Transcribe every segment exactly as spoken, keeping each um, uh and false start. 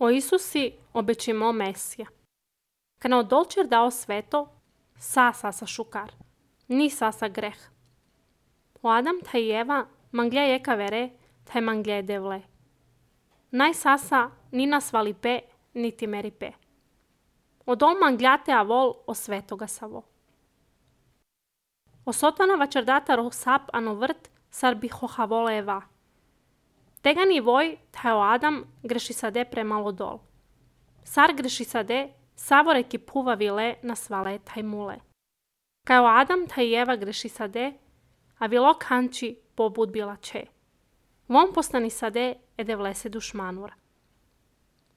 O Isusi obećimo Mesija. Kana odolčer dao sveto, sa sasa šukar, ni sasa greh. O Adam taj Eva manglja jeka vere, taj manglja devle. Naj sasa ni nas valipe, niti meripe. Odol mangljate avol o svetoga savo. O sotana vačerdata rohsap ano vrt, sar bi hohavole Eva. Tega ni voj, taj o Adam greši sade premalo dol. Sar greši sade, savore ki puva vile na svale taj mule. Kaj o Adam taj Eva greši sade, a vilo kanči pobud bila če. Vom postani sade ede vlese dušmanura.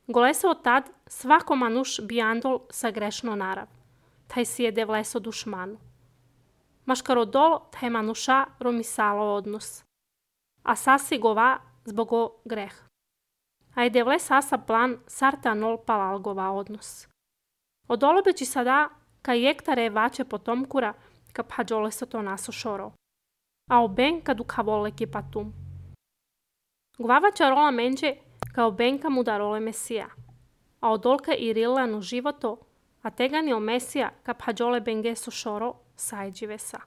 Golese od tad svako manuš bijandol sa grešno narav, taj si ede vleso dušmanu. Maškaro dol taj manuša romisalo odnos. A sasi gova zbog o greh. A ede vle sasa plan sarta nol palal gova odnos. Odolobeći sada ka jektare vače potomkura ka phađole se to naso šoro. A oben kadu kavole ki patum. Gvava čarola menđe kao benka mudarole Mesija. A odolka i rilanu životo, a tegani o Mesija ka phađole bengeso šoro sajđive sa.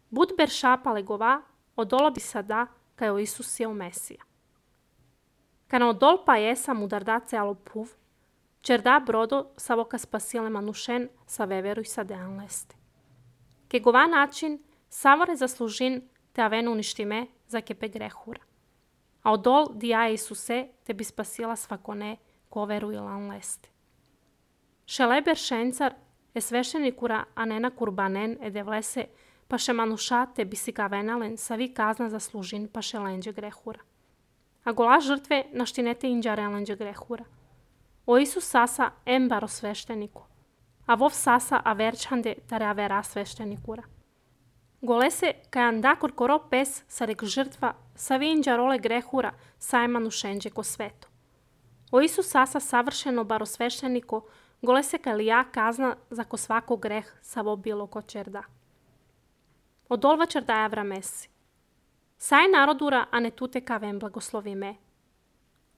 Bud ber šapale gova, odolo bi sada ka o Isus je o Mesija. Kana odol pa jesa mudardace alo puv, čerda brodo sa voka spasile manušen sa veveru i sa dean leste. Ke gova način savore zaslužin te avenu uništime za kepe grehura. A odol dija Isuse te bi spasila svakone ko veru ilan leste. Šeleber šencar je sveštenikura a nena kurbanen ede vlese pa še manuša te bi si ga venalen sa vi kazna zaslužin pa še lenđe grehura. A gola žrtve naštinete inđare lenđe grehura. O Isus sasa embaro svešteniku, a vov sasa averčande tare avera sveštenikura. Golese kaj andakor koro pes sa rek žrtva sa vi inđarole grehura sajmanu šenđe ko sveto. O Isus sasa savršeno baro svešteniko golese kaj lija kazna za ko svako greh sa vo bilo ko čerda. Odolva čerdaja vramesi. Saj narodura a ne tute kavem blagoslovi me.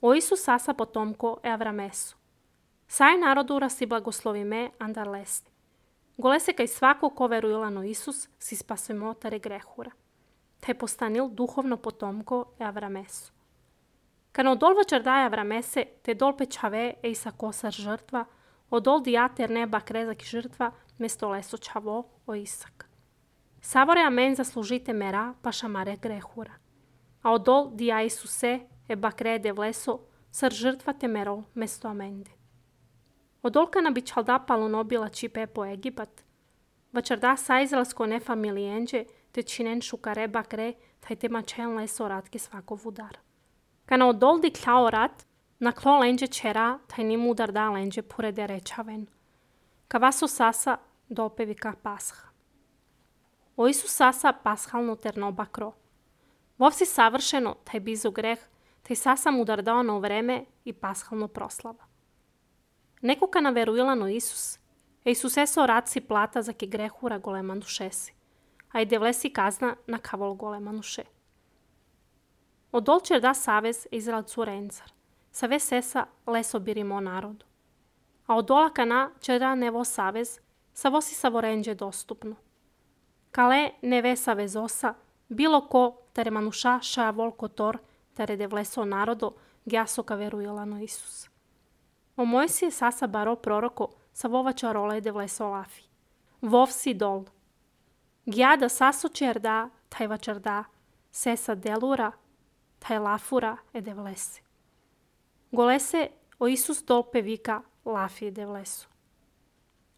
O Isus sasa potomko e avramesu. Saj narodura si blagoslovi me andar lesti. Golese kaj svako ko verujlano Isus si spasemo tare grehura. Te postanil duhovno potomko e avramesu. Kana odolva čerdaja avramese te dol pečave e isa kosar žrtva, odol dijater neba krezak žrtva mesto leso čavo o Isak. Savore amen zaslužite mera pa šamare grehura. A odol dija Isuse e bakrede vleso sar žrtva te mero mesto amende. Odolka na bi čalda palunobila čipe po Egipat, vačarda sa izraelsko ne familijenđe te činen šukare bakre taj te mačen leso ratke svako vudar. Kana odol di kljao rat, na klo lenđe čera taj nimu udar da lenđe purede rečaven. Ka vaso sasa dopevi ka pasha. O Isus sasa pashalno terno bakro. Vov si savršeno taj bizu greh, taj sasa mudar dao na vreme i pashalno proslava. Neko kana verujlano Isus, e Isuse so rad si plata za ke grehura golema dušesi, a i devlesi kazna na kavol golema duše. Odol čerda savez Izraelcu rencar, sa ve sesa leso birimo narodu. A odola kana čerda nevo savez, sa vosi savorenđe dostupno. Kale ne ve savezosa, bilo ko tere manuša šaja volko tor, tere devleso narodo, gjaso ka verujlano Isus. O Mojsije sasa baro proroko sa vova čarole devleso lafi. Vov si dol. Gja da saso čerda, taj vačarda, sesa delura, taj lafura e devlese. Golese o Isus dol pevika lafi e devlesu.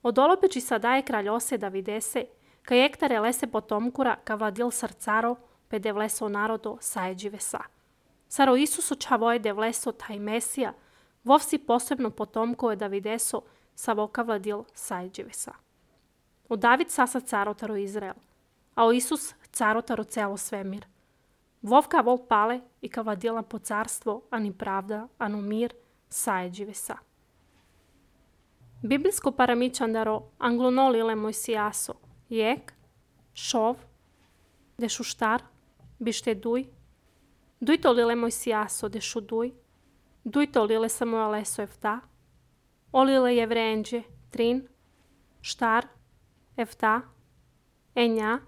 Odolopeči sada je kraljose da videse, ka jektare lese potomkura ka vladil srcaro, pe devleso narodo sajeđive sa. Saro Isuso čavoje devleso taj Mesija, vov si posebno potomko je da videso sa voka vladil sajđive sa. O David sasa carotaro Izrael, a o Isus carotaro celo svemir. Vov ka vol pale i ka vladila po carstvo, ani pravda, ano mir, sajđive sa. Biblijsko paramičandaro anglonolile Mojsijaso, jek, šov, dešuštar, bište duj, duj to lile Mojsijaso, dešu duj, Duito lile Samuel eso Efta, olile Jevrenđe, Trin, Štar, Efta, Enja,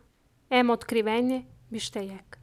Em otkrivenje, Bištejek.